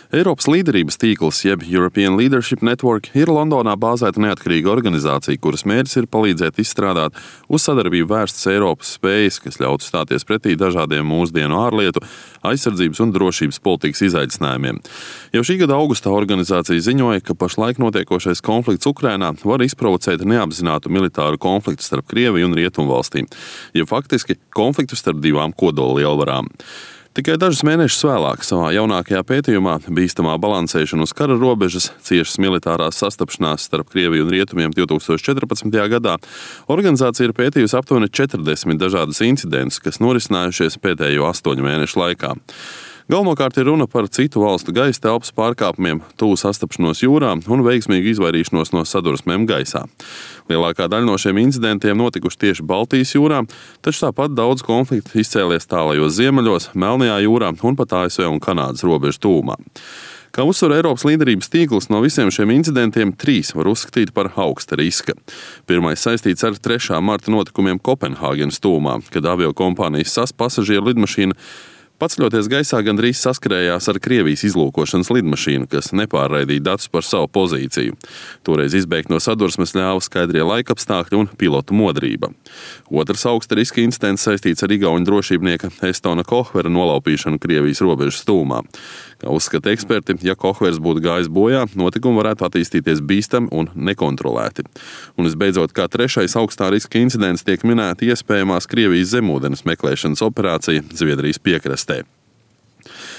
Eiropas līderības tīkls, jeb European Leadership Network, ir Londonā bāzēta neatkarīga organizācija, kuras mērķis ir palīdzēt izstrādāt uz sadarbību vērstas Eiropas spējas, kas ļautu stāties pretī dažādiem mūsdienu ārlietu, aizsardzības un drošības politikas izaicinājumiem. Jau šī gada augustā organizācija ziņoja, ka pašlaik notiekošais konflikts Ukrainā var izprovocēt neapzinātu militāru konfliktu starp Krieviju un Rietumvalstīm, jeb faktiski konfliktu starp divām kodollielvarām. Tikai dažus mēnešus vēlāk savā jaunākajā pētījumā Bīstamā balansēšana uz kara robežas, ciešas militārās sastapšanās starp Krieviju un Rietumiem 2014. gadā organizācija ir pētījusi aptuveni 40 dažādus incidentus, kas norisinājušies pēdējo 8 mēnešu laikā. Galvenokārt ir runa par citu valstu gaisa telpas pārkāpumiem, tuvu sastapšanos jūrā un veiksmīgu izvairīšanos no sadursmēm gaisā. Lielākā daļa no šiem incidentiem notikuši tieši Baltijas jūrā, taču tāpat daudz konfliktu izcēlies tālajos ziemeļos, Melnajā jūrā un pat ASV un Kanādas robežu tūmā. Kā uzsver Eiropas līderības tīkls, no visiem šiem incidentiem 3 var uzskatīt par augsta riska. Pirmais saistīts ar 3. marta notikumiem Kopenhāgenas tūmā, kad aviokompānijas SAS pasažieru lidmašīna paceļoties gaisā gandrīz saskarējās ar Krievijas izlūkošanas lidmašīnu, kas nepārraidīja datus par savu pozīciju. Toreiz izbēgt no sadursmes ļāva skaidrie laikapstākļi un pilotu modrība. Otrs augsta riska incidents saistīts ar igauņu drošībnieka Estona Kohvera nolaupīšanu Krievijas robežas tūmā. Kā uzskata eksperti, ja Kohvers būtu gājis bojā, notikumi varētu attīstīties bīstami un nekontrolēti. Un visbeidzot, kā 3. augstā riska incidents tiek minēta iespējamās Krievijas zemūdens meklēšanas operācija Zviedrijas piekrastē.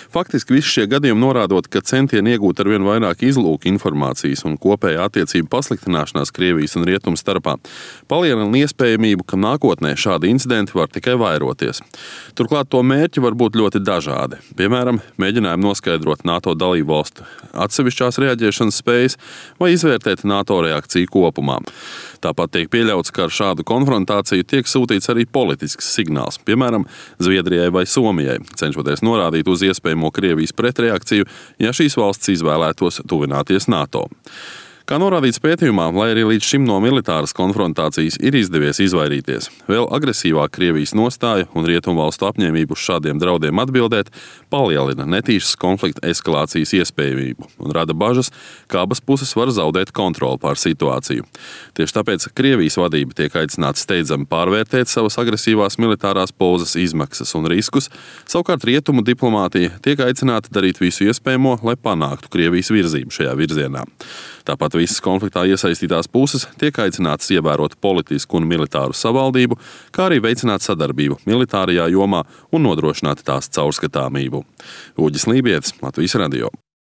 Faktiski visi šie gadījumi norādot, ka centieni iegūt arvien vairāk izlūka informācijas un kopējā attiecību pasliktināšanās Krievijas un Rietumu starpā palielina iespējamību, ka nākotnē šādi incidenti var tikai vairoties. Turklāt to mērķi var būt ļoti dažādi. Piemēram, mēģinājumi noskaidrot NATO dalībvalstu atsevišķās reaģēšanas spējas vai izvērtēt NATO reakciju kopumā. Tāpat tiek pieļauts, ka ar šādu konfrontāciju tiek sūtīts arī politisks signāls, piemēram, Zviedrijai vai Somijai, cenšoties norādīt uz iespējamo Krievijas pretreakciju, ja šīs valsts izvēlētos tuvināties NATO. Kā norādīts pētījumā, lai arī līdz šim no militāras konfrontācijas ir izdevies izvairīties, vēl agresīvāk Krievijas nostāja un Rietumvalstu apņēmību uz šādiem draudiem atbildēt palielina netīšas konflikta eskalācijas iespējamību un rada bažas, ka abas puses var zaudēt kontroli pār situāciju. Tieši tāpēc Krievijas vadība tiek aicināta steidzami pārvērtēt savas agresīvās militārās pozas izmaksas un riskus, savukārt Rietumu diplomātija tiek aicināta darīt visu iespējamo, lai panāktu Krievijas virzību šajā virzienā. Tāpat visas konfliktā iesaistītās puses tiek aicinātas ievērot politisku un militāru savaldību, kā arī veicināt sadarbību militārajā jomā un nodrošināt tās caurskatāmību. Uģis Lībietis, Latvijas radio.